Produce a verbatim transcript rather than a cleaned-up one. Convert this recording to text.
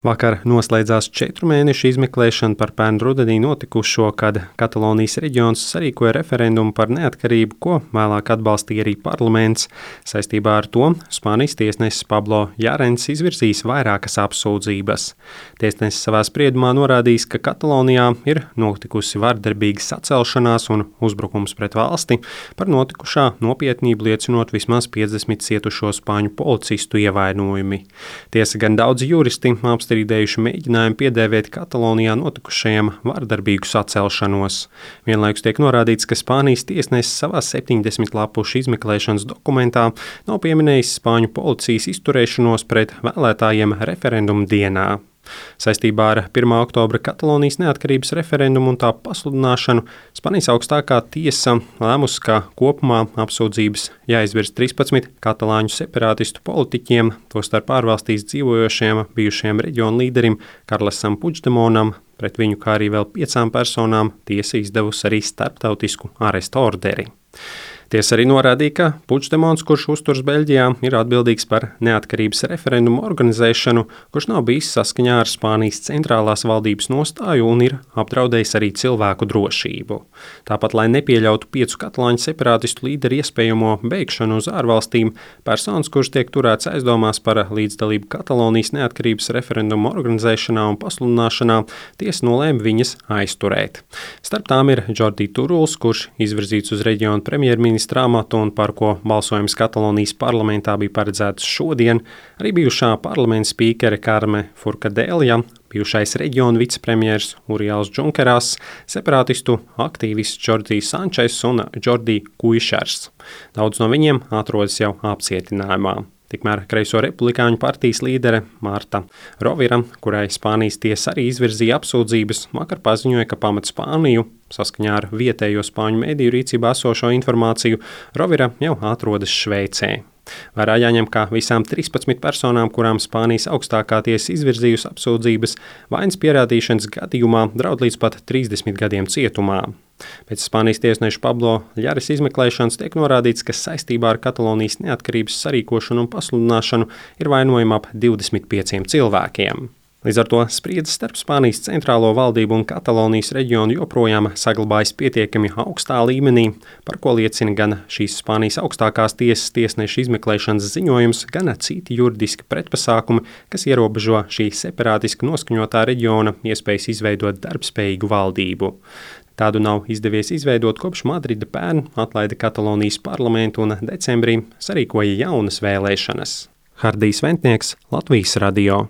Vakar noslēdzās četru mēnešu izmeklēšana par pērn rudenī notikušo, kad Katalonijas reģions sarīkoja referendumu par neatkarību, ko vēlāk atbalstīja arī parlaments. Saistībā ar to Spānijas tiesnesis Pablo Llarens izvirzīs vairākas apsūdzības. Tiesnesis savā spriedumā norādījis, ka Katalonijā ir notikusi vardarbīga sacelšanās un uzbrukums pret valsti, par notikušā nopietnību liecinot vismaz piecdesmit cietušo spāņu policistu ievainojumi. Tiesa gan daudzi juristi apstrīdējuši mēģinājumu piedēvēt Katalonijā notikušajam vardarbīgu sacelšanos. Vienlaikus tiek norādīts, ka Spānijas tiesnesis savā septiņdesmit lapušu izmeklēšanas dokumentā nav pieminējis spāņu policijas izturēšanos pret vēlētājiem referendumu dienā. Saistībā ar pirmā oktobra Katalonijas neatkarības referendumu un tā pasludināšanu Spānijas augstākā tiesa lēmusi, ka kopumā apsūdzības jāizvirz trīspadsmit katalāņu separātistu politiķiem, tostarp ārvalstīs dzīvojošiem bijušajiem reģionu līderim Karlesam Puigdemontam, pret viņu kā arī vēl piecām personām tiesa izdevusi arī starptautisku arestu orderi. Tiesa arī norādīja, ka Puigdemons, kurš uzturas Beļģijā, ir atbildīgs par neatkarības referendumu organizēšanu, kurš nav bijis saskaņā ar Spānijas centrālās valdības nostāju un ir apdraudējis arī cilvēku drošību. Tāpat, lai nepieļautu piecu katalāņu separātistu līderu iespējamo beigšanu uz ārvalstīm, personas, kurš tiek turēts aizdomās par līdzdalību Katalonijas neatkarības referendumu organizēšanā un pasludināšanā, tiesa nolēma viņas aizturēt. Starp tām ir Jordi Turuls, kurš izvirzīts uz reģionu premjerministru amatu un par ko balsojums Katalonijas parlamentā bija paredzēts šodien, arī bijušā parlamenta spīkere Karme Forcadella, bijušais reģionu vicepremjers Uriels Junqueras, separātistu aktīvists Jordi Sančes un Jordi Kuišers. Daudz no viņiem atrodas jau apcietinājumā. Tikmēr Kreiso republikāņu partijas līdere Marta Rovira, kurai Spānijas tiesa arī izvirzīja apsūdzības, vakar paziņoja, ka pamat Spāniju, saskaņā ar vietējo spāņu mediju rīcībā esošo informāciju, Rovira jau atrodas Šveicē. Vērā jāņem, ka visām trīspadsmit personām, kurām Spānijas augstākā tiesa izvirzījusi apsūdzības, vainas pierādīšanas gadījumā draud līdz pat trīsdesmit gadiem cietumā. Pēc Spānijas tiesneša Pablo Llarens izmeklēšanas tiek norādīts, ka saistībā ar Katalonijas neatkarības sarīkošanu un pasludināšanu ir vainojama ap divdesmit pieciem cilvēkiem. Līdz ar to spriedze starp Spānijas centrālo valdību un Katalonijas reģionu joprojām saglabājas pietiekami augstā līmenī, par ko liecina gan šīs Spānijas augstākās tiesas tiesneša izmeklēšanas ziņojums, gan citi juridiski pretpasākumi, kas ierobežo šī separātiski noskaņotā reģiona iespējas izveidot darbspējīgu valdību. Tādu nav izdevies izveidot kopš Madrida pērn atlaida Katalonijas parlamentu un decembrī sarīkoja jaunas vēlēšanas. Hardijs Ventnieks, Latvijas radio.